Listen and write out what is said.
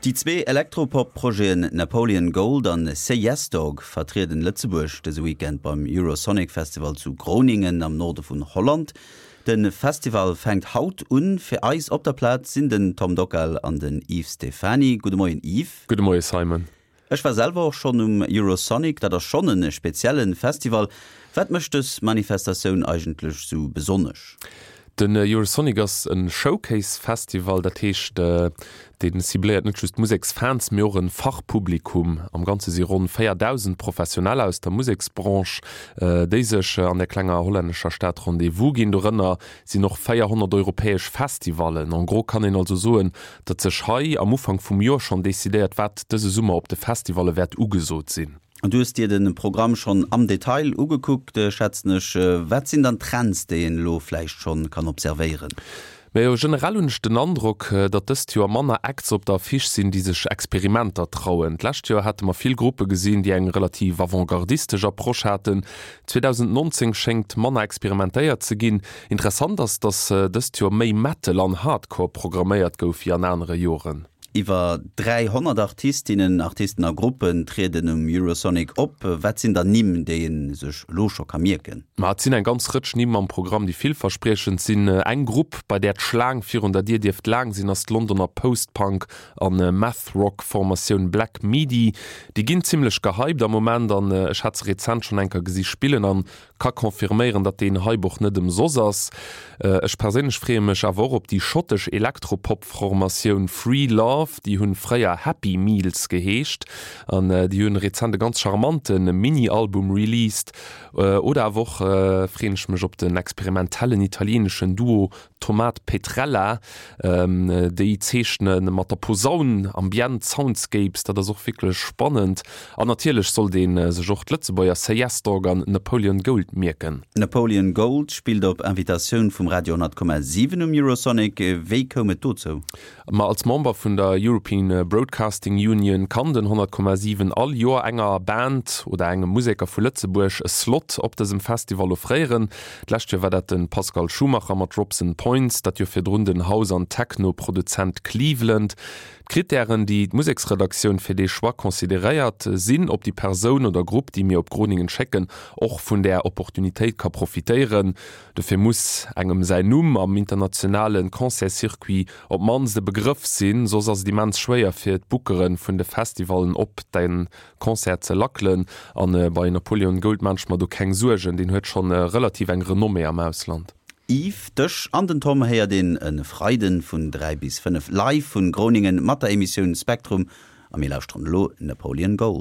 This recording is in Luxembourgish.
Déi zwee Elektropop-Projeten Napoleon Gold an Say Yes Dog vertrieden Lëtzebuerg dëse Weekend beim Eurosonic Festival zu Groningen am Norde vun Holland. De Festival fänkt haut un. Fir eis op der Plaz sinn den Tom Dockal an den Yves Stephany. Gudde Moien Yves. Gudde Moie Simon. Ech war selwer och schonn um Eurosonic, dat ass schonn e spezielle Festival. Wat mécht dës Manifestatioun eigentlech sou besonnesch? Den Eurosonic ass e Showcase-Festival, dat heescht, dee cibléiert net just Museksfans, mee och e Fachpublikum. Am Ganze si ronn 4.000 Professioneller aus der Museksbranche, déi sech an der klenger hollännescher Stad Rendez-vous ginn. Dorënner sinn och 400 europäesch Festivallen. En gros kann een also soen, datt sech hei am Ufank vum Joer schonn decidéiert, wat dëse Summer op de Festivalle wäert ugesot sinn. Du hues dir de Programm schonn am Detail ugekuckt, schätzen ech. Wat sinn dann d'Trends, déi een elo vläicht schonn kann observéieren? Majo, generell hunn ech den Androck, datt dëst Joer manner Acts op der Affiche sinn, déi sech Experimenter trauen. D'lescht Joer hate mer vill Gruppe gesinn, déi eng relativ avantgardistesch Approche haten. 2019 schéngt manner experimentéiert ze ginn. Interessant ass, datt dëst Joer méi Metal an Hardcore programméiert gouf wéi an anere Joren. Iwwer 300 Artistinnen, Artisten a Gruppen trieden um Eurosonic op. Wat sinn dann Nimm, déi ee sech elo scho ka mierken? Ma et sinn eng ganz Rëtsch Nimm am Programm, déi villverspriechend sinn. Eng Grupp, bei där d'Schlaang virun der Dier dierft laang sinn, ass d'Londoner Post-Punk a Math-Rock-Formatioun Black Midi. Déi ginn zimmlech gehypt am Moment an ech hat se rezent schonn eng Kéier gesi spillen an ka confirméieren, datt deen Hype och net ëmsoss ass. Ech perséinlech freeë mech awer och op déi schottesch Elektropop-Formatioun Free Love. Déi hunn fréier Happy Meals geheescht an déi hunn rezent e ganz charmante Mini-Album released. Oder awer och freeën ech mech op den experimentellen italieneschen Duo Tomat Petrella, déi zeechne mat der Posaun Ambient Soundscapes, dat ass och wierklech spannend. An natierlech sollt ee sech och d'Lëtzebuerger Say Yes Dog an Napoleon Gold mierken. Napoleon Gold spillt op Invitatioun vum Radio 10,7 um Eurosonic. Wéi koum et dozou? Ma als Member vun der European Broadcasting Union kann den 100,7 all Joer enger Band oder engem Museker vu Lëtzebuerg e Slot op dësem Festival offréieren. D'lescht Joer war dat de Pascal Schumacher mat Robson Points, dat Joer virdrun den House an Techno-Produzent Cleveland. D'Krittären, déi d'Museksredaktioun fir dee Choix consideréiert, sinn, ob déi Persoun oder Grupp, déi mir op Groningen schécken, och vun där Opportunitéit ka profitéieren. Dofir muss engem säin Numm am internationale Concertscircuit op d'mannst e Begrëff sinn, soss ass et immens schwéier fir d'Bookere vun de Festivallen op de Concert ze lackelen. A bei Napoleon Gold maan ech mer do keng Suergen, deen huet schonn relativ eng Renommée am Ausland. Yves, dech an den Tom héiert een e Freiden vun 3 bis 5 live vun Groningen mat der Emissioun Spektrum a mir lauschteren elo Napoleon Gold.